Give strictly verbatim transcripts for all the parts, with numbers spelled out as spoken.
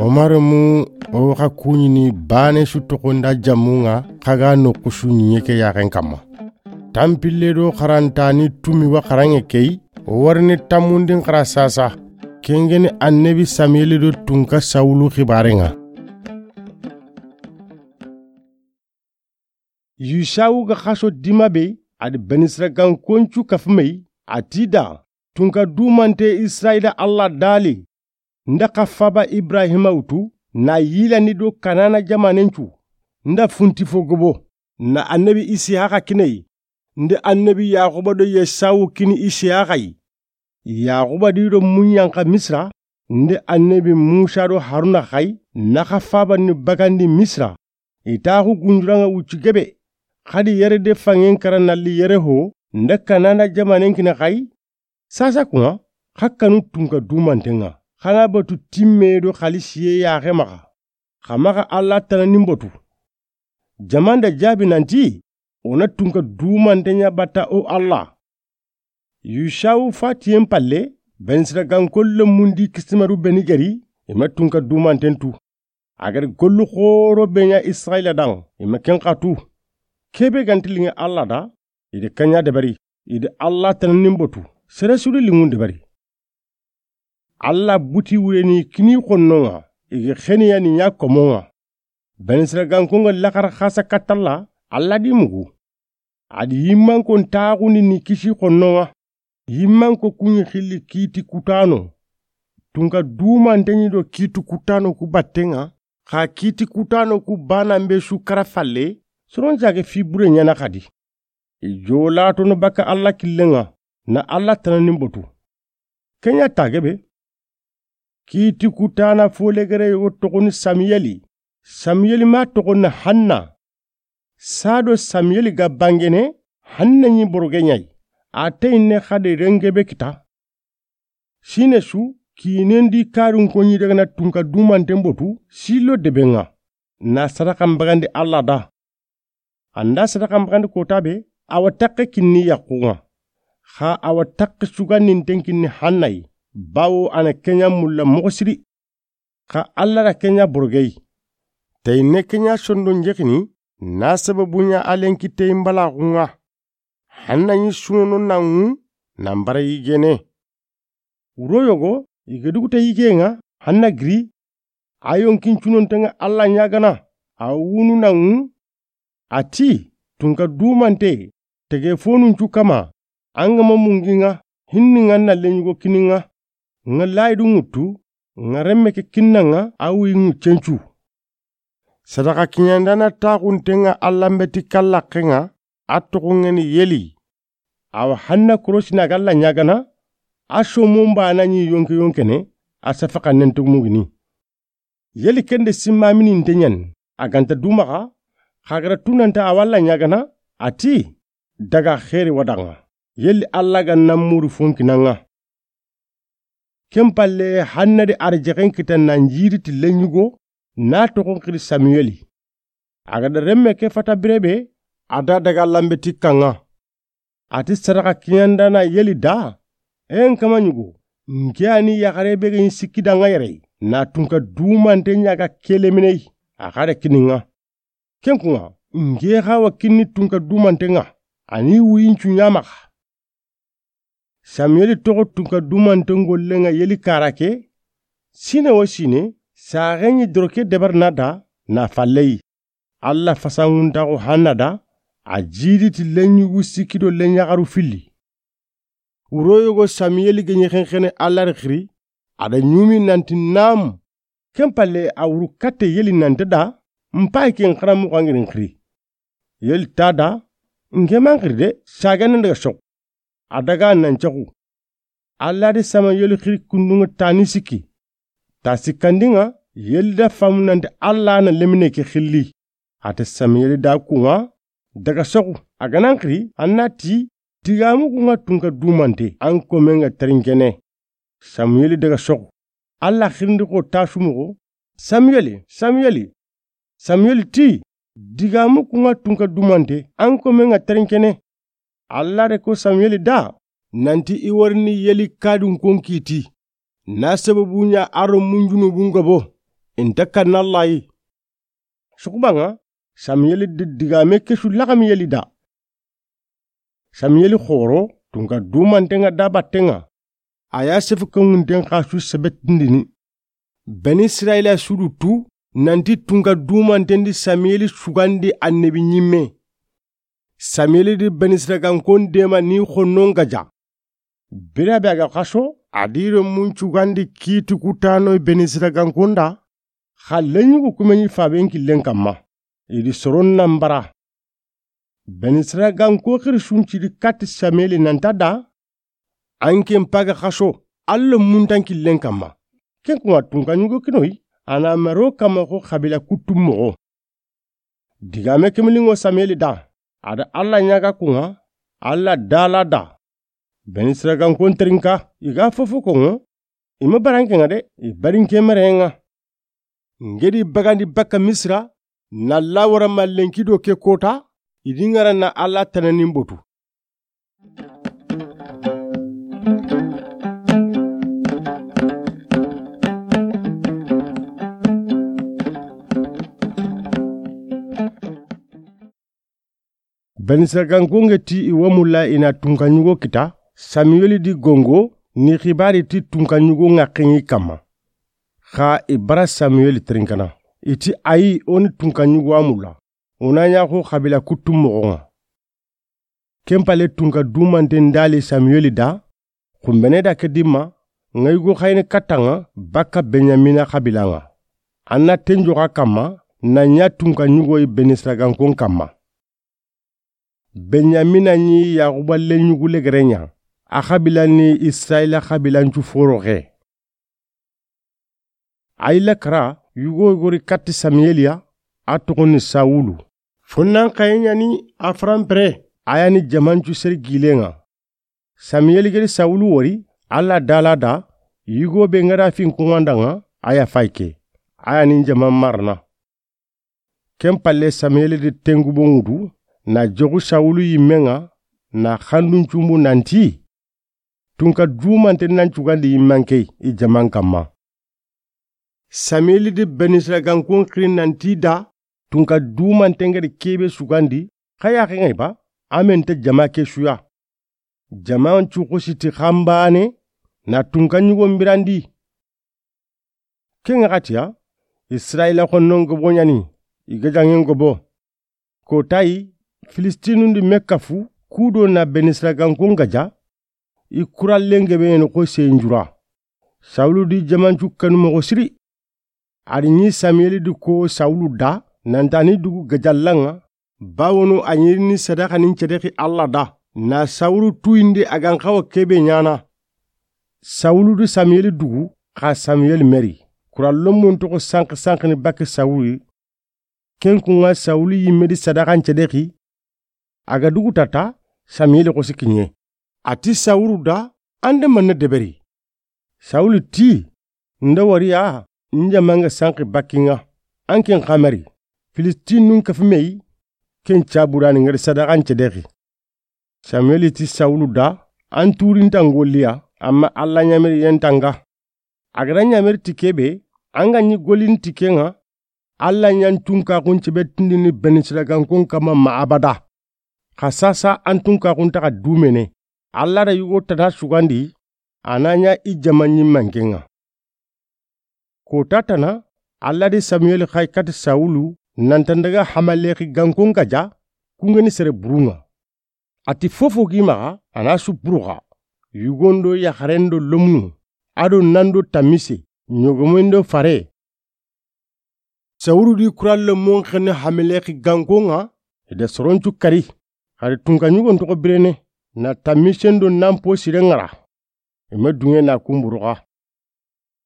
Omar mu o xa kuɲini baane su toxo nda jamu ŋa, xa ga noxu su ɲiɲe ke yaxen kanma. Tanpille do xarantani tumi wa xaranŋe ke yi, o warini tanmundin xara sasa. Ken ga ni annabi Samiyeli do tunka Sawulu xibaaren ŋa. Yusawu ga xaso dima be, a di Benisiragankoncu kafu me yi, a ti i da, tunka dumante Isirayila Alla da li, n da xa faaba Ibrahima wutu, na yilandi do Kanana jamaanencu, n da funti fo gobo, na annabi Isihaxa kini i yi, n da annabi Yaxuba do Yesawu kini Isihaxa yi. Yaxuba di do munyanxa Misira, n da annabi Musa do Haruna xa yi, na xa faaba ni bagandi Misira. I taaxu gunjuranŋa wucci gebe, xadi yere de fanŋen kara na li yere ho, n da Kanana jamaanen kini xa yi. Sasa kunŋa, xa kanu tunka dumanten ŋa, xa na batu timme do xalisiye yaxe maxa, xa maxa Alla tanani n batu. Jaman da jaabi nanti, o na tunka dumanten ɲa batta o Alla. Yusawu fatiyen palle, Benisiraganko lemundi kisimaru be ni geri, i ma tunka dumanten tu. A geri gollu xooro be ɲa Isirayila da, i ma ken xa tu. Kebe ga nti liŋe Alla da, i di ken ɲa deberi, i di Alla tanani n batu, sere su di liŋun deberi. Alla buti wureni kini xonnonŋa, i gi xeniyani ɲa komonŋa. Benisiraganko ŋa laxara xasa katta Alla, Alla di mugu. A di yimmanko n taaxundi ni kisi xonnonŋa. Yimmanko kuɲi xilli kiiti kutano. Tunka dumanten ɲi do kiiti kutano ku batten ŋa, xa kiiti kutano ku banan be su kara falle, soron jage fi bure ɲaana xadi. I jolatono bakka Alla killen ŋa, na Alla tanani n batu. Ken ɲa ta gebe. Kiiti kutana folegere yogo toxoni Samiyeli. Samiyeli ma toxoni Hanna. Sado Samiyeli ga bangene, Hanna ɲi boroge ɲa yi. A teyinne xadi rengebe kita. Sine su, kiinendi karunko ɲi daga na tunka dumanten botu, Silo deben ŋa, na sadaxan bagandi Alla da. An da sadaxan bagandi kota be, a wa taxe kinni yaxun ŋa. Xa a wa taxe sugandinten kinni Hanna yi, bawo a na ken ɲa mulla moxo siri. Xa Alla da ken ɲa boroge yi. Teyinne ken ɲa sondon jexini, na sababu ɲa a lenki teyin balaxun ŋa. Hanna ɲi sunono na ŋu, na n bara yigene. Wuro yogo, i ga duguta yigen ŋa, Hanna giri, a yonkin cunonten ŋa Alla ɲaagana, a wunu na ŋu, a ti, tunka dumante, tege fonuncu kama, an ga ma mungi ŋa, hinni ŋa na leɲugo kini ŋa, ŋa layidu ŋuttu, ŋa remme ke kinna ŋa, a wuyi ŋuccencu. Sadaxa kiɲandana taxunten ŋa Alla n beti kallaxen ŋa, a toxon ŋa ni Yeli. Awa Hanna korosina ga Alla ɲaagana, a somon bana ɲi yonke yonkene, a safaxannen to mugini. Yeli ken de simmamininte ɲani, a ga nta dumaxa, xa ga ra tunanta a wa Alla ɲaagana, a ti, daga xeeri wa da ŋa. Yeli Alla ga na muru fonkinan ŋa. Ken palle Hanna di arjexen kita na n jiri ti leɲugo, na toxon xiri Samiyeli. A ga da remme ke fata bire be, a da daga Alla n beti kan ŋa. A ti sadaxa kiɲandana Yeli da, en kama ɲugo, n ke a ni yaxare be ga ɲi sikki da ŋa yere, na tunka dumante ɲa ga kelemine yi, a xa da kini ŋa. Ken kun ŋa, n ke xa wa kinni tunka dumanten ŋa, a ni wuyincu ɲa maxa. Samiyeli toxo tunka dumanten gollen ŋa Yeli kara ke, sine wo sine, saxe ɲi doroke debar na da, na falle yi. Alla fasanguntaxu Hanna da, a jidi ti leɲugu sikki do leɲaxaru filli. Wuro yogo Samiyeli ga ɲi xenxene Alla ri xiri, a da ɲumi nanti nam. Ken palle a wuru katte Yeli nante da, n payi ken xaramuxu an girin xiri. Yeli ta da, n ke man xiri de, sagene daga soxu. A daga nan cexu. Alla di Samiyeli xiri kundun ŋa tani sikki. Ta sikkandin ŋa, Yeli da famu nanti Alla na lemine ke xilli. A ti Samiyeli da kun ŋa, daga soxu, a ga nan xiri, an na ti, digamu kun ŋa tunka dumante, an komen ŋa terinkene. Samiyeli daga soxu. Alla xirindi xo ta sumuxo, Samiyeli, Samiyeli. Samiyeli ti, digamu kun ŋa tunka dumante, an komen ŋa terinkene. Alla de ko Samiyeli da, nanti i wori ni Eli kadun kon kiti. Na sababu ɲa a ro munjunu bun gabo. Inta kanna Alla yi. Sukubanŋa, Samiyeli di digame ke su laxami Eli da. Samiyeli xoro, tunka dumanten ŋa da batten ŋa. A ya sefu ke ŋunten xa su sebetindini. Beni Israyila sudu tu, nanti tunka dumanten di Samiyeli sugandi annabi ɲimme. Samiyeli di Beni Israyila gankon dema ni xonnon gaja. Bira be a ga xaso, a di ro mun sugandi kiti kutano Beni Israyila gankon da, xa leɲugu kumeɲi faben killen kamma. I di soron nan bara. Beni Israyila ganko xiri sunci di kati Samiyeli nanta da, an ken paga xaso, Alla muntan killen kamma. Ken kuma tunka ɲugo kinoyi, a na maro kamma xo xabila kuttu moxo. Digame kemlinŋo Samiyeli da, a da Alla ɲaga kunŋa, Alla dala da. Beni Israyila gankon terinka, i ga fofo konŋo, i ma baranke ŋa de, i barinke merenŋa. Ngedi bagandi bakka Misira, na lawara ma lenki do ke kota, i di ŋara na Alla tananin botu. Beni Israyila ganko ŋa ti i wa mulla i na tunka ɲugo kita, Samiyeli di gongo, ni xibari ti tunka ɲugo ŋa xeŋi kamma. Xa i bara Samiyeli terinkana. I ti ayi o ni tunka ɲugo a mulla. O na ɲa xo xabila kuttu moxo ŋa. Ken pale tunka dumanten dali Samiyeli da, xumbene da ke dimma, ŋa yugo xayini katta ŋa bakka Benyamina xabila ŋa. An na tenjo xa kamma, na ɲa tunka ɲugoyi Beni Israyila gankon kamma. Benyamina ɲi Yaxuba leɲugu legere ɲa, a xabila ni Israyila xabilancu foroxe. Ayila kara yugo gori katti Samiyeli ya, a toxo ni Sawulu. Fonnan xaye ɲa ni a faranpere, a ya ni jamancu seri gilen ŋa. Samiyeli gedi Sawulu wori, Alla dala da, yugo be ŋa da fin kuŋanda ŋa, a ya fay ke, a ya ni jaman marana. Ken palle Samiyeli di tengubo ŋutu, na joxu Sawulu yimme ŋa, na xandun cumbu nanti, tunka dumanten nan cugandi yimmankey i jaman kamma. Samiyeli di Beni Israyila gankon xiri nanti da, tunka dumanten gedi kebe sugandi, xa yaxen ŋa i ba, a men ta jama ke suya. Jaman cu xosi ti xanbane, na tunka ɲugon birandi. Ken ŋa xatiya, Israyila xonnon gobo ɲa ni, i gajaŋen gobo. Kotayi, Filistinun di me kafu, kudo na Beni Israyila gankon gaja, i kurallen gebe ɲeni xo seyinjura. Sawulu di jamancu kanu moxo siri. A di ɲi Samiyeli di ko Sawulu da, nanta ni dugu gajallan ŋa, bawono a ɲiri ni sadaxanin cedexi Alla da, na Sawulu tuyindi a gan xawa kebe ɲana. Sawulu di Samiyeli dugu, xa Samiyeli meri, kurallon mun toxo sanqi sanqini bakke Sawulu. Ken kuŋa Sawulu yimme di sadaxan cedexi, a ga dugu tata, Samiyeli xosi kiɲe. A ti Sawulu da, an de manne deberi. Sawulu ti, nda wariya, n jaman ga sanqi bakki ŋa, an ken xamari, Filistinun kafu meyi, ken caburani ŋa di sadaxan cedexi. Samiyeli ti Sawulu da, an turintan golliya, amma Alla ɲameri yentanga. A ga da ɲameri ti kebe, an ga ɲi gollini ti ke ŋa, Alla ɲan tunkaxun cebetindini Beni Israyila gankon kamma ma abada. Xa sasa an tunkaxun taxa dumene, Alla da yugo tana sugandi, a na ɲa i jama ɲimmanken ŋa. Kota tana, Alla di Samiyeli xay kati Sawulu, nanta n daga Hamalexi gankon gaja, kungeni sere burun ŋa. A ti fofo gi maxa, a na su buruxa. Yugondo yaxarendo lomunu, ado nando tamise, ɲogomondo fare. Sawulu di kurallo mon xene Hamalexi gankon ŋa, i da soroncu kari. Xari tunka ɲugon toxo birene, na tamisendo nan po sire ŋara. I ma duŋe na kun buruxa.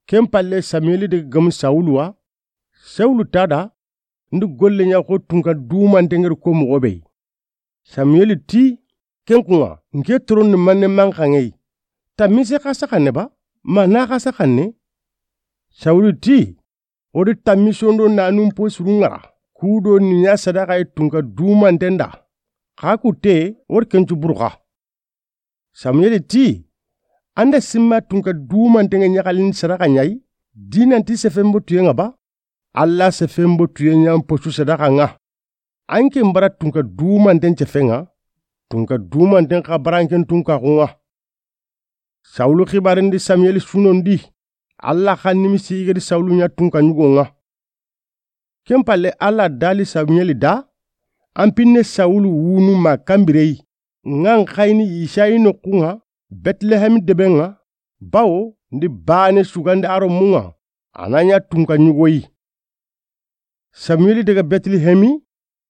Ken palle Samiyeli daga gamu Sawulu wa, Sawulu tada, ndi golle ɲa xo tunka dumante ŋeri ko moxo be. Samiyeli ti, ken kuŋa, nke torondi manne manxaŋeyi. Tamise xa saxanne ba, ma na xa saxanne. Sawulu ti, wori tamisondo nanun po suru ŋara, kudo ni ɲa sadaxa yi tunka dumanten da. Xa kutte, wori kencu buruxa. Samuel ti: An da simma tunka dumanten ŋa ɲaxalin sadaxa ɲa yi, di nanti sefen botuyen ŋa ba? Alla sefen botuyen ɲa n posu sadaxa ŋa. An ke n bara tunka dumanten cefen ŋa, tunka dumanten xa bara an ke n tunkaxun ŋa. Sawulu xibarendi Samuel sunondi, Alla xa nimisi i ga di Sawulu ɲa tunka ɲugon ŋa. Ken palle, Alla dali Samuel da: An pinne Sawulu wunu ma kanbire yi, ŋa n xayini Yisayi noxun ŋa Betlehemi deben ŋa, bawo n di baane sugandi a rommun ŋa, a na ɲa tunka ɲugo yi. Samuel daga Betlehemi,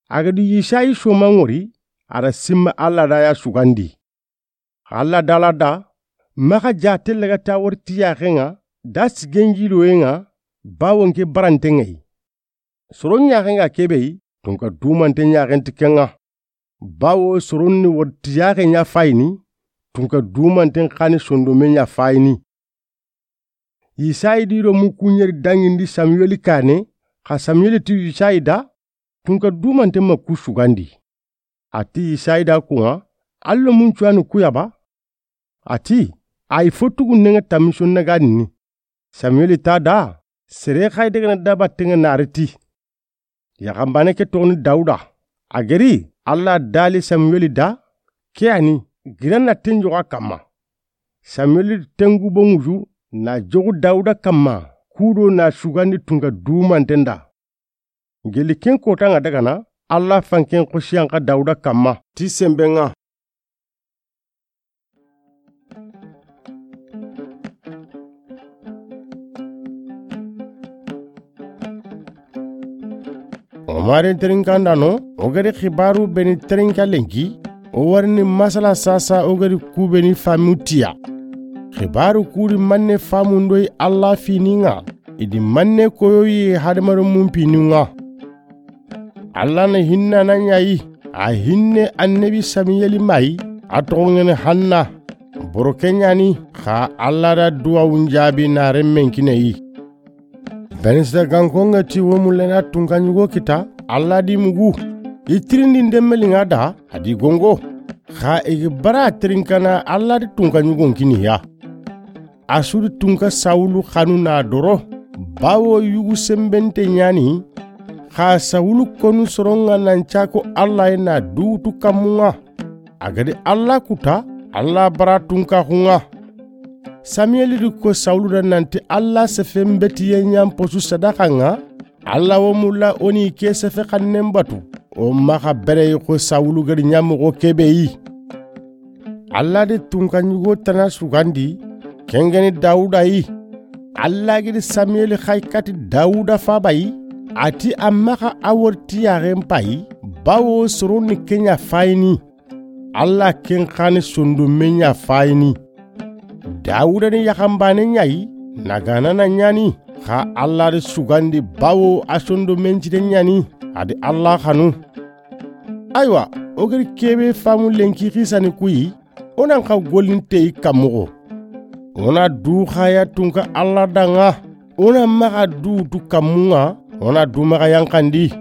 a ga di Yisayi soman ŋori, a da simma Alla da ya sugandi. Alla dala da: Maxa jaate laga ta wori ti yaxen ŋa da sigen jiloyen ŋa, bawo n ke baranten ŋa yi. Soron ɲaxen ga kebe yi, tunka dumanten ɲaxen ti ken ŋa. Bawo soron ni wori ti yaxen ɲa fayini, tunka dumanten xa ni sondomen ɲa fayini. Yisayi di rommu ku ɲeri dangindi Samuel kaane, xa Samuel ti Yisayi da: Tunka dumanten ma ku sugandi. A ti Yisayi da kun ŋa: Alla mun cuwani ku ya ba? A ti: Ayi, fo tugunnen ŋa tamison na ga ni. Samuel ta da: Sere xay daga na dabatten ŋa nari ti. Yaxanbane ke toxoni Dawuda. A geri, Alla dali Samuel da: Ke ya ni, gira na ten joxo a kanma. Samuel tengu bonguju na joxu Dawuda kanma, kudo na sugandi tunka dumanten da. Geli ken kota ŋa daga na, Alla fanken xosiyan xa Dawuda kanma ti semben ŋa. O maren terinkandano, o gari xibaru beni terinka lenki, o warini masala sasa o gari kubeni famu tiya. Xibaru kuri manne famu ndoyi Alla fini ŋa, idi manne koyoyi hadamaru mun pinu ŋa. Alla na hinna na ɲayi, a hinne annabi Samuel mayi, a toxongene Hanna. Boro ke ɲani, xa Alla da duwawun jaabi na remmen kineyi. Benisita gankonga ti wo mullena tunka ɲugo kita, Alla di mugu. I tirindi ndemmeli ŋa da, a di gongo. Xa i gi bara tirinkana Alla di tunka ɲugon kiniya. A su di tunka Sawulu xanu na doro, bawo yugu senbente ɲani, xa Sawulu konu soron ŋa nan cako Alla ye na duutu kanmun ŋa. A ga di Alla kuta, Alla bara tunkaxun ŋa. Samuel di ko Sawulu da nanti Alla sefen betiye ɲa n posu sadaxa ŋa, Alla wo mulla o ni ke sefe xannen batu, o maxa bere yi xo Sawulu gari ɲa moxo kebe yi. Alla di tunka ɲugo tana sugandi, kengeni Dawuda yi. Alla gidi Samuel xay kati Dawuda faba yi, a ti a maxa a wori ti yaxen payi, bawo soron ni ke ɲa fayini. Alla ken xa ni sondomen ɲa fayini. Dawuda ni yaxanbane ɲayi, na gana na ɲani, xa Alla di sugandi bawo a sondomen cide ɲani, a di Alla xanu. Aywa, o gari kebe famu lenki xisani kuyi, o nan xa gollinte yi kanmoxo. O na du xaya tunka Alla danŋa, o na maxa duutu kanmun ŋa, o na du maxa yanxandi.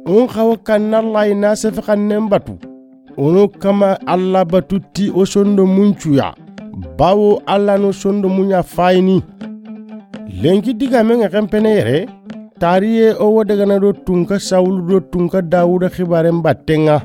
O n xawa kanna Alla yi na sefe xannen batu. O no kama Alla batu ti o sondomun cuya, bawo Alla no sondomun ɲa fayini. Lenki digamen ŋa xenpene yere, tariye o wo dagana do tunka Sawulu do tunka Dawuda xibaren batten ŋa.